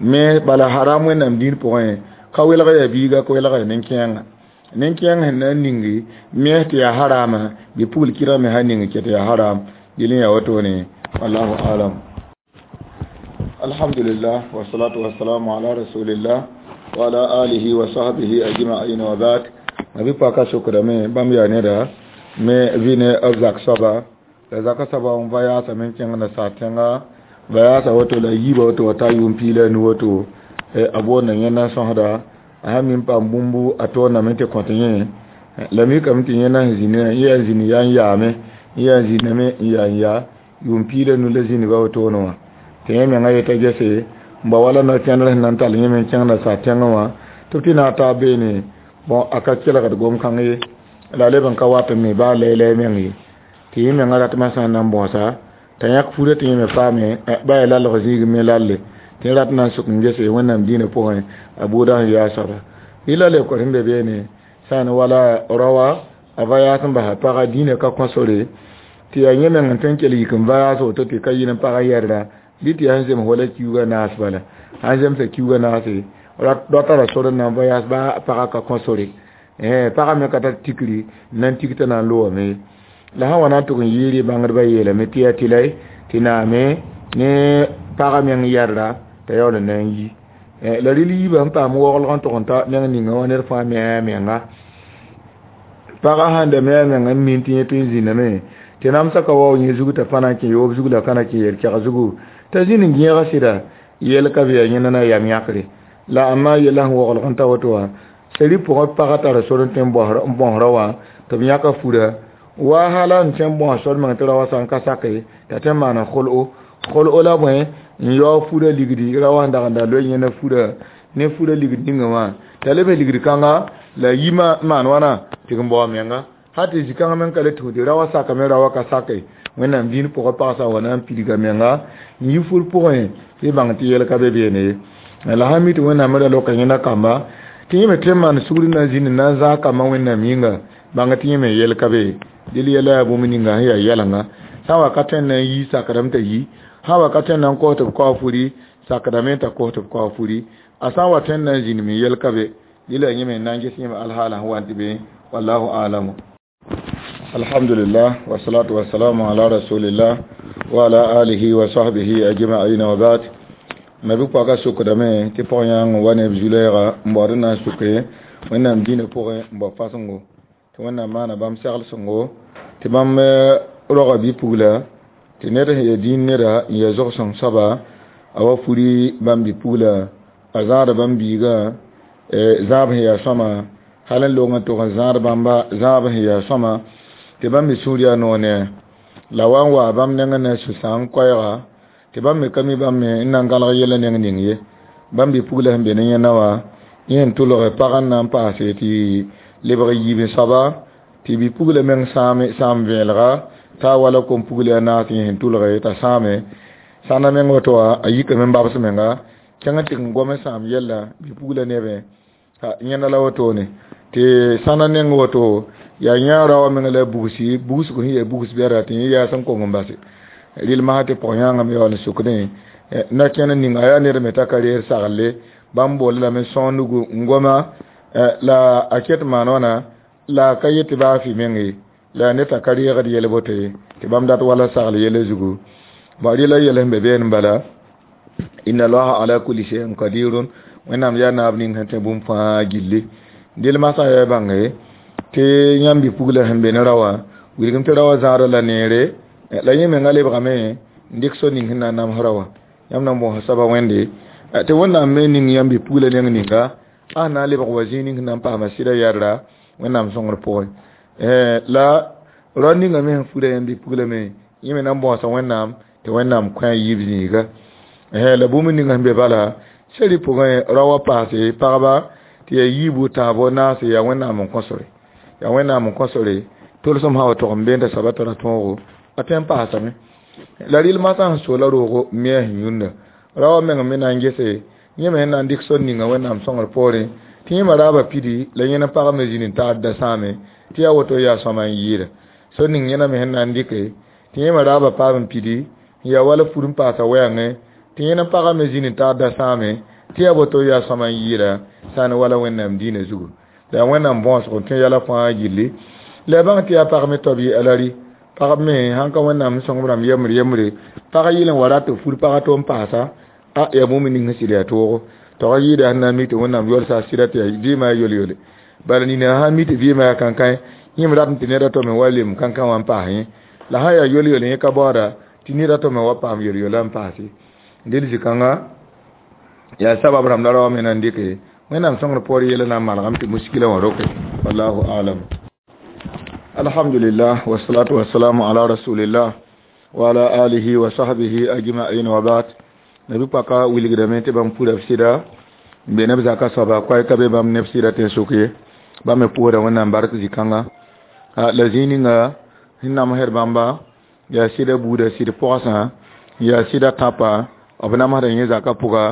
me bala haram Wẽnnaam dĩin pʋgẽ ka welg yaa biiga ka welg yaa nin-kẽenga nin-kẽeng sẽn na n ningi mens tɩ yaa harama bɩ pugl kɩrg me sã ning kɛ tɩ yaa haram dɩl n yaa wotone. Wallahu alam. Alhamdulillah wassalatu wassalamu ala rasulillah wa ala alihi wa sahbihi ajma'in wa ba'd. Mabi-pɔka sokdame bãmb yaa neda me vɩ ne b zak soaba la zaka soaba n va yaasame n kẽng nasaar tẽnga va yaasa woto la yiiba woto wa ta yʋʋm piig la a nu woto a boonda yẽnda n sõsda a sã mi n paam bũmbu a toorname tɩ kõt yẽ la mikame tɩ yẽnda sẽn zĩnd yẽ yaa n zĩnd yaa n yaame yaa n zĩndame n yaa n yaa yʋʋm piig la nu la zĩndba wotone wã tɩ yẽ menga yeta gese n ba wala no-kẽndr sẽn na n tall yẽ me n kẽng nasaar tẽngẽ wã tɩ b tɩ na n taab beene bõn a ka kelgd gom-kãng ye la a leb n ka wat n me baa lɛɛlɛɛ meng ye tɩ yẽ menga ratmã sã n na n bõosa t'a yãk furã tɩ yẽ me paame ba yaa lalg zĩig me lalle tɩ rat na n sʋk n gese Wẽnnaam dĩinã pʋgẽ a buudã sẽn yaa soaba yɩ la lebk sẽn be beene sã n wala raoã a va yaas n basa pagã dĩinã ka kõ sore tɩ yaa yẽ meng n tõe n kell yik n va yaas woto tɩ ka yɩl n pagã yɛrda bɩ tɩ yaa sẽn zems wala kiuugã naas bala sãn zemsa kiuugã naase rao tara sor n na n va yaas baa pagã ka kõ sore pagã me ka tar tikri n na n tik t'a na n loome. La sã n wa na n tʋg n yɩɩr bãngdbã yeelame tɩ yaa tɩlɛ tɩ naame ne pagã meng yɛrda t'a yaool n na n yi. La rɩl yiibã sẽn paam waoolg n tʋg n ta meng ninga wã ned fãa me a menga pagã sãn da me a meng n min tɩ yẽ tõe n zĩndame tɩ namsã ka wao yẽ zug t'a pa na n kẽ yoob zug la ka na kẽ yel-kɛg zugu t'a zĩnd n gẽega sɩda yɛl ka be yaa yẽnda na yam yãkre la amma yɛla sẽn waoolg n ta woto wã sari pʋgẽ pagã tara sor n tõe n bõs rao wã tɩ b yãka fura wahala n tõe n bõs sor meng tɩ rao wã sã n ka sake t'a tõe n maana kol'o. Kol'o la bõe n yaoog furã ligdi rao wã sẽn dag n da loe yẽnda furã ne furã ligd ninga wã t'a leb ligd kãnga la yi maan wãna tɩ n bao a menga Hati zikãngã meng ka le tũ tɩ ra wã sakame ra wã ka sake wẽnnaam dĩin pʋgã pagsã wa na n pidga menga n yi fur pʋgẽ tɩ bãng tɩ yɛl ka be beene ye. La sã n mi tɩ wẽnnaam me ra loka yẽnda kamba tɩ yẽ me tõe n maan sugr na n zĩnd n na n zãag kambã wẽnnaam yĩnga bãng tɩ yẽ me yɛl ka be dɩl yɛla yaa bũmb ninga sẽn yaa yɛlenga sã n wa ka tõe n na n yi sakdame t'a yi sã n wa ka tõe n na n kos tɩ b kao furi sakdame t'a kos tɩ b kao furi a sã n wa tõe n na n zĩnd me yɛl ka be dɩl yaa yẽ me n na n ges yẽ me alhaala sẽn wa n tɩ be wallahu alamu. Alhamdulillah wassalatu wassalamu ala rasulillah wa ala alihi wa sahbihi ajma'in wa ba'd. Mabi pɔka sukdame tɩ pɔg-yãang wa neb zu-lɛɛga n baood n na n suke wẽnnaam dĩinã pʋgẽ n bao fasẽngo tɩ wẽnnaam maana bãmb segl-sõngo tɩ bãmb roga bi-pugla tɩ ned sẽn ya dĩin neda n ya zog-sõng soaba a wa furi bãmb bi-pugla a zãada bãmb biigã zãab sẽn yaa sõama hal n long n tog n zãad bãmba zãab sẽn yaa sõama tɩ bãmb me sũur yaa noor ne la wa n wa bãmb nengẽ na n sũ-sãang koɛɛga tɩ bãmb me ka mi bãmb me n na n gãlg yɛla neng ning ye bãmb bi-pugla sẽn be ne yẽnda wã yẽ n tʋlge pag n na n paase tɩ lebg yiib soaba tɩ bi-pugla meng sãam sãam vẽelga t'a wala kom-pugl yaa naas yẽ sẽn tʋlge t'a sãame sãnda meng woto wã a yikame n babs menga kẽng n tɩg n gom n sãam yɛlla bi-pugla nebẽ yẽnda la wotone tɩ sãnda neng woto yaa yã raoã meng la bugsi bugsg sẽn yaa bugs bɛda tɩ yẽ yaas n kong n base rɩl masã tɩ pɔg-yãangã me yaool n sukdẽ na kẽnd ning a yaa ned me t'a ka reer saglle bãmb bool lame sõor nugu n goma la a ket maan wãna la ka yet tɩ baa fɩ meng ye la ned t'a ka reegd yɛl boto ye tɩ bãmb dat wala sagl yɛla zugu bõ rɩla yɛl sẽn be beene bala inna allaha ala kulli shay'in qadirun wẽnnaam yaa naab ning sẽn tẽ bũmb fãa gilli dɩl masã yaa bãnge tɩ yãmb bi-pugla sẽn be ne ra wã wilgem tɩ ra wã zãada la neere la yẽ menga lebgame n dɩk so ning sẽn na n nams ra wã yãmb na n bõosa soaba wẽnde tɩ wẽnnaam me ning yãmb bi-pugla neng ninga a sẽn na n lebg wa zĩig ning sẽn na n paama sɩda yɛdra wẽnnaam sõngr pʋgẽ la rao ninga me sẽn fura yãmb bi-pugla me yẽ me na n bõosa wẽnnaam tɩ wẽnnaam kõ a yiib zĩiga la bũmb ninga sẽn be bala seri pʋgẽ rao wã paase pagba tɩ yaa yiibu tãabo naase yaa wẽnnaam n kõsore yaa wẽnnaam n kõsore tolsem sã wa tog n beenta soaba tara tõogo a tõe n paasame la rɩl masã sẽn soola roogo me a sẽn yũnda ra wã meng me na n gese yẽ me sẽn na n dɩk sor ninga wẽnnaam sõngr poorẽ tɩ yẽ me raaba pidi la yẽna pag me zĩnd n taad da sãame tɩ yaa woto yaa sõma n yɩɩda sor ning yẽna me sẽn na n dɩke tɩ yẽ me raaba paam n pidi n yaa wala fur n paasa wɛɛngẽ tɩ yẽna pagã me zĩnd n taad da sãame tɩ yaa woto yaa sõma n yɩɩda sã n wala wẽnnaam dĩinã zugu la yaa wẽnnaam bõosg n tõe yɛla fãa gilli la bãng tɩ yaa pag me taob yɩ alari pagb me sãn ka wẽnnaam sõngb rãmb yembre yembre pag yɩl n wa rat tɩ fur pagã tɩ n paasa a yaa bũmb ning sẽn sɩd yaa toogo tog yɩɩda sẽn na n mi tɩ wẽnnaam yolsa a sɩda tɩ yaa vɩɩmã yaa yol-yole bala nina sã n mi tɩ vɩɩmã yaa kãnkãe yẽm rat tɩ ned a to me wa lem kãnkã wã n paas yẽ la sã n yaa yol-yol yẽ ka baooda tɩ ned a to me wa paam yol-yola n paase dɩl zĩ-kãnga yaa sabab rãmb la rao me na n dɩke wẽnnaam sõngr poor yɛla na n malgame tɩ muskila wã roke wallahu alam. Alhamdulillah wassalatu wassalamu ala rasulillah wa ala alihi wa sahbihi ajma'in wa ba'd. Nabi paka wilgdame tɩ bãmb pura b sɩda n be neb zaka soaba koɛɛ ka be bãmb neb sɩda tɩ n sʋk ye bãmb me pʋʋsda wẽnnaam bark zĩ-kãnga la zĩig ninga sẽn namsd bãmba yaa sɩda buuda sɩd pɔgsã yaa sɩda tãpa b namsda yẽ zaka pʋga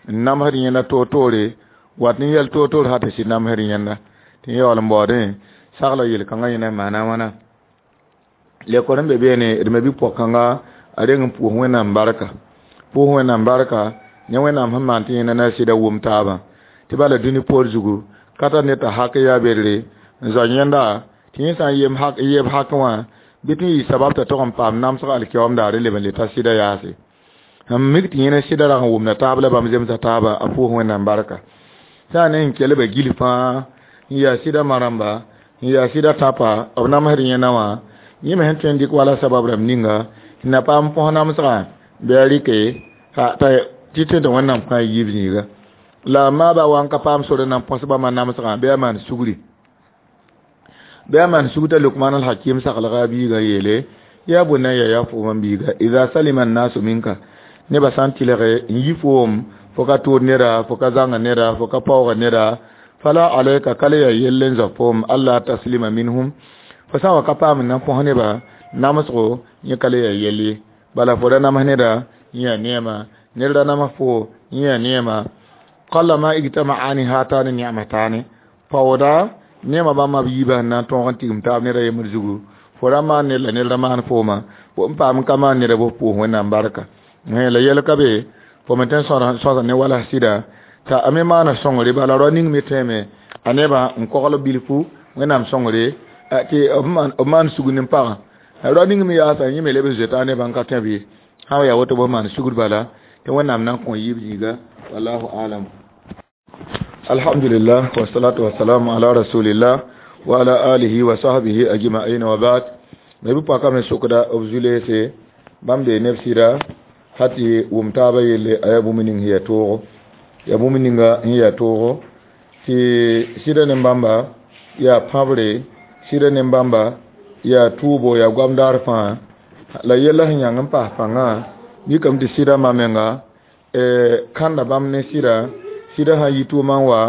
n namsd yẽnda toor-toore wat n yɛl toor-toor sã tɩ sɩd namsd yẽnda tɩ yẽ yaool n baoodẽ sagla yel-kãngã yẽna n maana wãna lekor n be beene d me bi-pɔg-kãnga a reng n pʋʋs wẽnnaam barka pʋʋs wẽnnaam barka ne wẽnnaam sẽn maan tɩ yẽnda na sɩda wʋm taabã tɩ bala dũni poor zugu ka tar ned t'a hak yaa bedre n zao yẽnda tɩ yẽ sã n yem hak yeb hakẽ wã bɩ tɩ n yɩ sabab t'a tog n paam namsg alkiyaoom daare leb n le ta sɩda yaase sẽn mik tɩ yẽna sɩda rag n wʋmda taab la bãmb zemsa taaba a pʋʋs wẽnnaam barka sã n ne n kelba gil fãa n yaa sɩda ma-rãmba n yaa sɩda tãpa b namsd yẽna wã yẽ me sẽn tõe n dɩk wala sabab rãmb ninga sẽn na paam põs namsgã bɩ a rɩke tɩ tõe tɩ wẽnnaam kõ a yiib zĩiga la maaba wa n ka paam sor n na n põs bãmba namsgã bɩ a maan sugri bɩ a maan sugr t'a Lukman al-Hakim saglga a biigã yeele yaa bunayya yaa fo mam biiga idha salima an-nasu minka nebã sã n tɩlge n yi foom fo ka tʋʋd neda fo ka zãnga neda fo ka paooga neda fala alayka kala yaa yell n zao foom alla taslima minhum Fo sã n wa ka paam n na n põs nebã namsgo yẽ ka le yaa yell ye. Bala fo ra nams neda yẽ yaa neema, ned ra nams fo yẽ yaa neema. Qallama ijtama'ani hatani ni'matani, paooda neema bãmba b yiibã sẽn na n tõog n tigim taab ned a yembr zugu. Fo ra maan ned la ned ra maan fooma, fo n paam n ka maan neda bɩ f pʋʋs Wẽnnaam barka. La yɛl ka be fo me tõe n sõsa ne wala sɩda t'a a me maana sõngre, bala rao ning me tõeme a nebã n kogl bilfu Wẽnnaam sõngre tɩ b maan sugr ne pagã. Rao ning me yaasa yẽ me leb n zoeta a nebã n ka tõe b ye. Sã n yaa woto bɩ maan sugr bala tɩ Wẽnnaam na n kõ yiib zĩiga. Wallahu alam. Alhamdulillah wa salatu wa salamu ala rasulillah wa ala alihi wa sahbihi ajma'in wa ba'd. Me bi paka me sokda b zulese bãmb bee neb sɩda ha tɩ wʋm taabã yelle a yaa bũmb ning sẽn yaa toogo, yaa bũmb ninga sẽn yaa toogo tɩ sɩda ne bãmba yaa pãbre, sɩda ne bãmba yaa tʋʋbo, yaa goam daar fãa. La yɛla sẽn yãng n paas pãngã mikame tɩ sɩda ma menga kãnda bãmb ne sɩda, sɩda sã n yi tʋʋmã n wa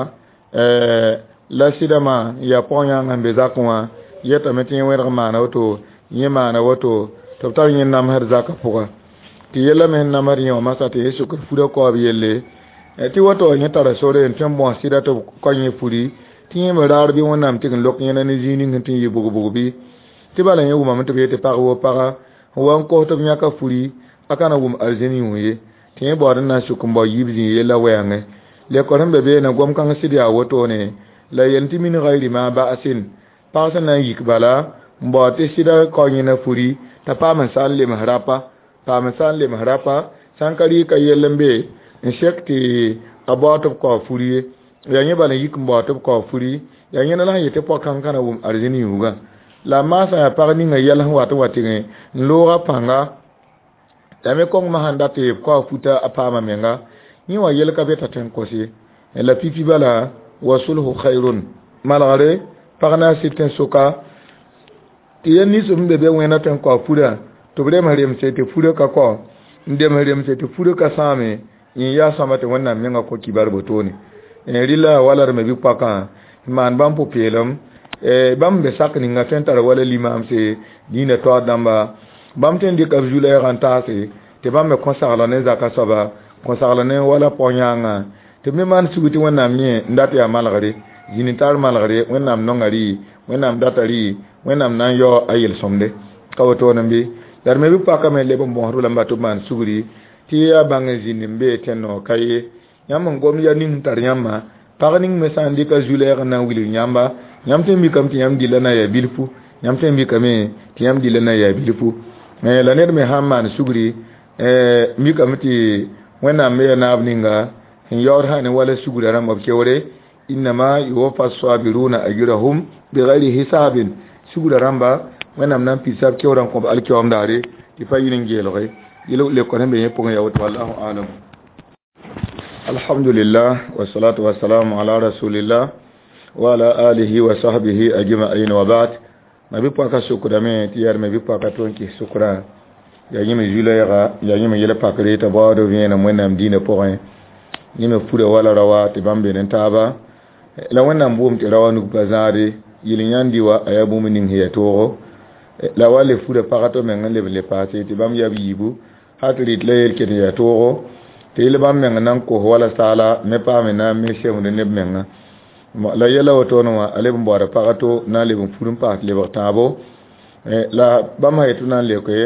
la sɩda maa n yaa pɔg-yãangã sẽn be zakẽ wã yetame tɩ yẽ wẽrg n maana woto, yẽ maana woto tɩ b tar yẽ namsd zakã pʋga. Tɩ yɛla me sẽn namsd yẽ wã masã tɩ yẽ sokd furã kaoob yelle tɩ woto yẽ tara sore n tõe n bõs sɩda tɩ b kao yẽ furi tɩ yẽ me raar bɩ Wẽnnaam tɩg n lok yẽna ne zĩig ning sẽn tɩ n yɩ bʋg-bʋg bɩ. Tɩ bala yẽ wʋmame tɩ b yetɩ pag woo paga sẽn wa n kos tɩ b yãka furi a ka na wʋm arzẽn yũ ye. Tɩ yẽ baood n na n sʋk n bao yiib zĩig yella wɛɛngẽ. Lekor sẽn be beene gom-kãng sɩd yaa wotone la yel tɩ min gayri ma ba'asin, pag sẽn na n yik bala n baood tɩ sɩda kao yẽna furi t'a paam n sa n lems rapa, paam n sa n lems rapa sã n ka rɩ ka yell n be n sek tɩ a baood tɩ b kao furi ye. Yaa yẽ bala n yik n baood tɩ b kao furi, yaa yẽna la sẽn yet tɩ pɔg-kãng ka na wʋm arzẽn yũugã. La maasã yaa pag ninga yɛl sẽn wat n wa tɩgẽ n looga pãnga la me kõng sãn dat tɩ b kao futa a paama menga yẽ wã yel ka be t'a tõe n kos ye. La pipi bala wa sulhu khairun, malgre pag na n sɩd tẽn-soka tɩ yɛl nins sẽn be be wẽna tõe n kao furã tɩ b rems remse tɩ furã ka kao, n dems remse tɩ furã ka sãame, yẽ yaa sõma tɩ Wẽnnaam menga kõ kibar botone. Rɩla wala d me bɩ-poakã n maan bãmb pʋ-peelem bãmb be sak ninga tõe n tara wala limaamse dĩinã taoor dãmba bãmb tõe n dɩka b zu-lɛɛgã n taase tɩ bãmb me kõ sagla ne zaka soaba, kõ sagla ne wala pɔg-yãangã tɩ b me maan sugr tɩ Wẽnnaam yẽ n dat yaa malgre, zĩn-tar malgre, Wẽnnaam nonga rɩ, Wẽnnaam data rɩ, Wẽnnaam na n yao a yel-sõmde ka wotone bɩ. La d me bɩ-poakã me leb n bõsd lamba tɩ b maan sugri tɩ yaa bãng n zĩnd n bee tẽn-noog ka ye. Yãmb n gomd yaa ning sẽn tar yãmba, pag ning me sã n dɩka zu-lɛɛg n na n wilg yãmba, yãmb tõe n mikame tɩ yãmb dillã na n yaa bilfu, yãmb tõe n mikame tɩ yãmb dillã na n yaa bilfu. La ned me sã n maan sugri mikame tɩ Wẽnnaam me yaa naab ninga sẽn yaood sã ne wala sugrã rãmba b keoore innama yuwaffa sabiruna ajrahum bigayri hisabin, sugrã rãmba Wẽnnaam na n pidsa b keoorã n kõ b alkiyoom daare tɩ pa yɩl n geelge yel lekor sẽn be yẽ pʋgẽ yaa woto. Wallahu alam. Alhamdulillah wa salatu wa salamu ala rasulillah wa ala alihi wa sahbihi ajma'in wa ba'd. Ma bi pɔka sukdame tɩ yaa me bi pɔka tõe n kɩs sʋkrã yaa yẽ me zu-lɛɛga, yaa yẽ me yɛl pakre t'a baood vẽenem Wẽnnaam dĩinã pʋgẽ, yẽ me fura wala raowa tɩ bãmb be ne taaba. La Wẽnnaam boom tɩ raowa nug pa zãade yel-yãndi wa a yaa bũmb ning sẽn yaa toogo. La wa le fura pag to meng n leb n le paase tɩ bãmb yaa b yiibu hal tɩ rɩt la yel ket n yaa toogo tɩ yel bãmb meng na n kos wala saala me paame na n me semd neb menga. La yɛla wotone wã a leb n baooda pag to na n leb n fur n paas lebg tãabo. La bãmb sã yetɩ na n leoke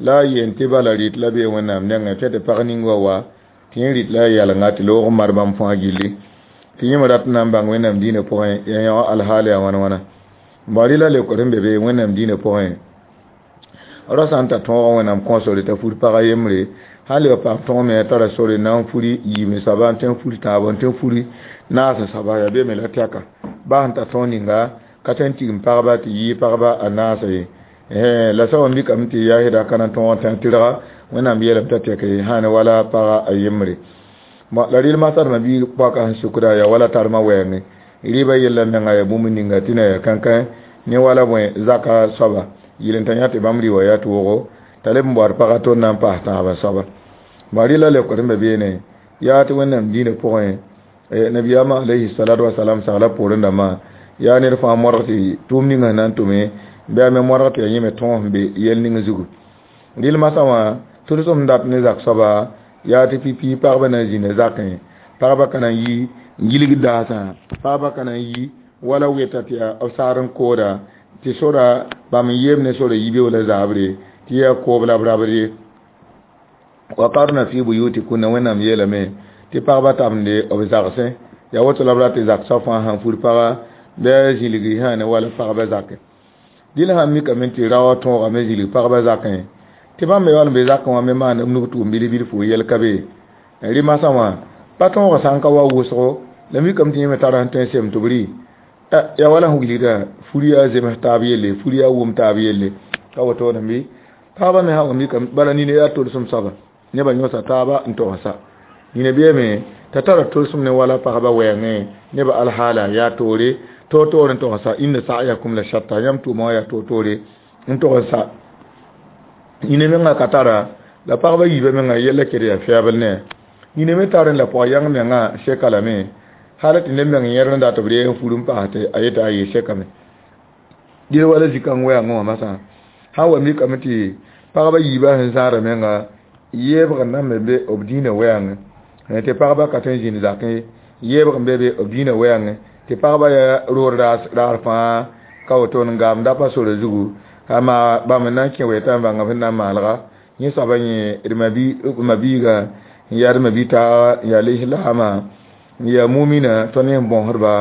la a yeen tɩ bala rɩt la bee Wẽnnaam nengẽ tɩ tɩ pag ning wa wa tɩ yẽ rɩt la a yalnga tɩ loog n mar bãmb fãa gilli tɩ yẽ me rat n na n bãng Wẽnnaam dĩinã pʋgẽ yaa yõ alhaal yaa wãn wãna. Bã rɩla leokd sẽn be be Wẽnnaam dĩinã pʋgẽ rao sã n ta tõog Wẽnnaam kõ sore t'a fur pag a yembre sã n leb paam tõog me a tara sore na n furi yiib soaba n tõe n furi tãabo n tõe n furi naas soaba yaa be me la tɛka baa sẽn ta tõog ninga ka tõe n tigim pagba tɩ yɩɩ pagba a naasa ye. La sã wa mikame tɩ yaa sɩda ka na n tõog n tã tɩrga Wẽnnaam yeelame t'a tɛke sã ne wala paga a yembre. La rɩl masadmã bɩ poaka sẽn sukda yaa wala tarmã wɛɛngẽ rɩɩbã yella menga yaa bũmb ninga tɩ na yaa kãnkã ne wala bõe zaka soaba yɩl n ta yã tɩ bãmb rɩ wa yaa toogo t'a leb n baood pagã tõnd na n paas tãabã soaba. Bã rɩla leokd sẽn be beene yaa tɩ Wẽnnaam dĩinã pʋgẽ nabiyaamã alayhi salatu wasalam sagla poorẽ dãmbã yaa ned fãa modg tɩ tʋʋm ninga sẽn na n tʋme bɩ a me modg tɩ yaa yẽ me tõog sẽn be yɛl ning zugu rɩl masã wã tʋlsem dat ne zak soaba yaa tɩ pipi pagba na n zĩnda zakẽ pagba ka na n yi n gilg daasã pagba ka na n yi wala weta tɩ yaa b saar n kooda tɩ sora bãmb n yeem ne sora yibeoog la zaabre tɩ yaa koob la b rabd ye وقرن في بيوتكن wẽnnaam yeelame tɩ pagba tabende b zagsẽ yaa woto la b rat tɩ zak soab fãa sãn fur paga bɩ a zĩlgi sã ne wala pagba zakẽ dɩl sãn mikame tɩ raoã tõogame zĩlg pagba zakẽ tɩ bãmb me wall n be zakẽ wã me maan b nug tʋʋm bil bilfu yɛl ka be rɩ masã wã pa tõogã sã n ka wa wʋsgo la mikame tɩ yẽ me tara sẽn tõe n sem tɩ b rɩ yaa wala sẽn wilgda fur yaa zems taab yelle fur yaa wʋm taab yelle ka wotone bɩ pagba me sã wa mikame bala nina yaa tolsem soaba nebã yõsa taaba n togsa nina beeme t'a tara tolsem ne wala pagba wɛɛngẽ nebã alhaala yaa toore toor-toor n togsa inna sa'yakum la shatta yãmb tʋʋma wã yaa toor-toore n togsa nina menga ka tara la pagba yiibã menga yɛlla ket yaa fɛɛbl ne nina me tar n la pʋg yãng menga seka lame hal tɩ neb meng yẽr n dat b ree n fur n paas tɩ a yeta a yee sekame dɩl wala zĩ-kãng wɛɛngẽ wã masã sã n wa mikame tɩ pagba yiibã sẽn zãada menga yeebg n nan me be b dĩinã wɛɛngẽ tɩ pagba ka tõe n zĩnd zakẽ yeebg n be be b dĩinã wɛɛngẽ tɩ pagba yaa roor raar fãa ka woto n gaam da pa sora zugu ama bãmb n na n kẽ wɛɛta n bãnga sẽn na n maalga yẽ soaba yẽ d mabiiga n yaa d mabi-taaga n yaa lislaamã n yaa mumina tõnd yẽ bõsdba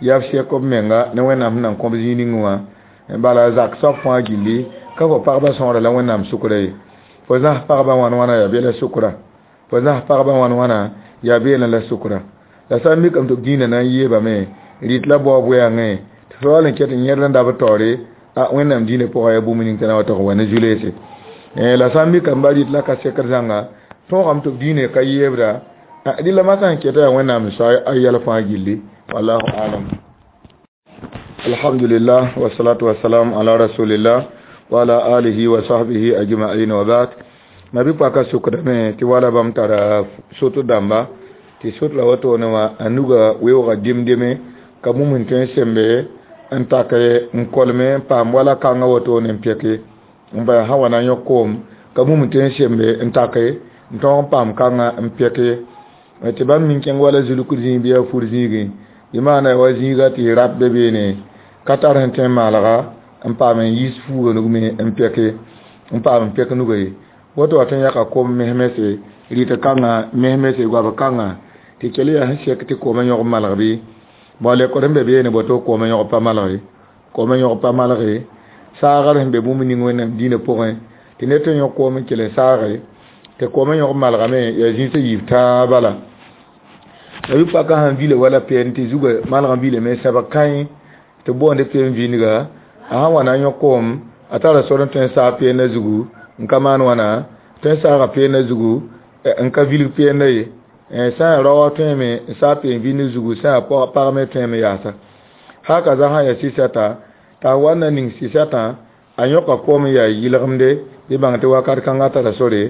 yaa b sɛk b menga ne wẽnnaam sẽn na n kõb zĩig ning wã bala zak soab fãa gilli ka fo pagba sõora la wẽnnaam sʋkra ye fo zãs pagba wãn wãna yaa bela sʋkra fo zãs pagba wãn wãna yaa beelẽ la sʋkra la sã n mikame tɩ b dĩinã na n yeebame rɩt la baoob wɛɛngẽ tɩ fo wall n ket n yẽd n da b taoore a wẽnnaam dĩinã pʋgã yaa bũmb ning tɩ na wa tog n wa ne zu-leese la sã n mikame ba rɩt la ka sekd zãnga tõogame tɩ b dĩinã ka yeebda dɩ la masã sẽn keta yaa wẽnnaam soa a yɛl fãa gilli wallahu alam alhamdulillah wasalatu wasalam ala rasulillah wa ala alihi wa sahbihi ajma'in wa ba'd mabi paka sukdame tɩ wala bãmb tara soto dãmba tɩ sot la wotone wã a nuga weoogã dem-deme ka bũmb sẽn tõe n sembe n tak n kolme n paam wala kãngã wotone n pɛke n bala sã wa na n yõk koom ka bũmb sẽn tõe n sembe n take n tõog n paam kãngã n pɛke tɩ bãmb min kẽng wala zulk zĩig bɩ yaa fur zĩigẽ bɩ maana wa zĩiga tɩ rap be beene ka tar sẽn tõe n maalga n paam n yis fuuga nug me n pɛke n paam n pɛk nuga ye woto wa tõe n yãka koom mes-mese rɩt kãngã mes-mese goab kãngã tɩ kell yaa sẽn sɛk tɩ koomã yõg malg bɩ bõ lekor sẽn be beene boto koomã yõg pa malge koomã yõg pa malge saagr sẽn be bũmb ning wẽnnaam dĩinã pʋgẽ tɩ ned tõe n yõk koom n kell n saage tɩ koomã yõg malgame yaa zĩisã yiib tãa bala la bɩ paka sãn vila wala pɛɛn tɩ zuga malg n vilame sãbg kãe tɩ boonde peen vĩndga a sãn wa na n yõk koom a tara sor n tõe n saag peenã zugu n ka maan wãna tõe n saaga peenã zugu n ka vilg peenã ye sã n yaa raoã tõeme n saag peen vĩnd zugu sã n yaa pag me tõeme yaasa haka za sã n yaa sɩsɛta t'a wa na ning sɩsɛtã a yõka koom n yaa yɩlgemde bɩ bãng tɩ wakat kãngã tara sore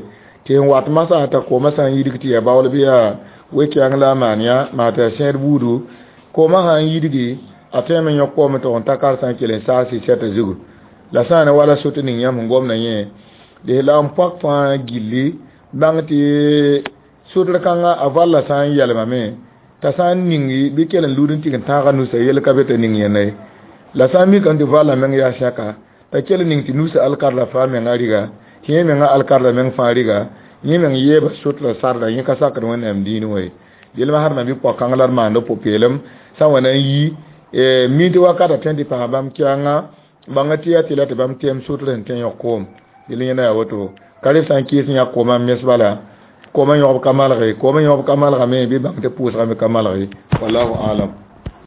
tɩ n wat masã t'a koomã sã n yidg tɩ yaa baool bɩ yaa we-kɛɛng la a maan yã maa tɩ yaa sẽed buudu koomã sã n yidgi a tõeme n yõk koom tɩg n ta karsã n kell n saag sɩsɛtã zugu la sã n ne wala sot ning yãmb sẽn gomdã yẽ lislaam pɔk fãa gilli bãng tɩ sotr kãngã a valla sã n yɛlmame t'a sã n ningi bɩ kell n lud n tɩg n tãaga nusa yel ka be t'a ning yẽnda ye la sã n mikame tɩ valla meng yaa sɛka t'a kell n ning tɩ nusa alkarda fãa menga rɩga tɩ yẽ menga alkarda meng fãa rɩga yẽ meng yeeba sotla sarda yẽ ka sakd wẽnnaam dĩin wã ye dɩl masd ma bɩ pɔg kãng la d maand pʋ-peelem sã n wa na n yi mi tɩ wakata tõe n tɩ paas bãmb kɛɛngã bãnga tɩ yaa tɩ la tɩ bãmb tɛm sotr sẽn tõe n yõk koom dɩl yẽnda yaa woto ka reb sã n kɩɩs n yãk koomã n mes bala koomã yõgb ka malge koomã yõgb ka malgame bɩ bãng tɩ pʋʋsgame ka malge wallahu alam.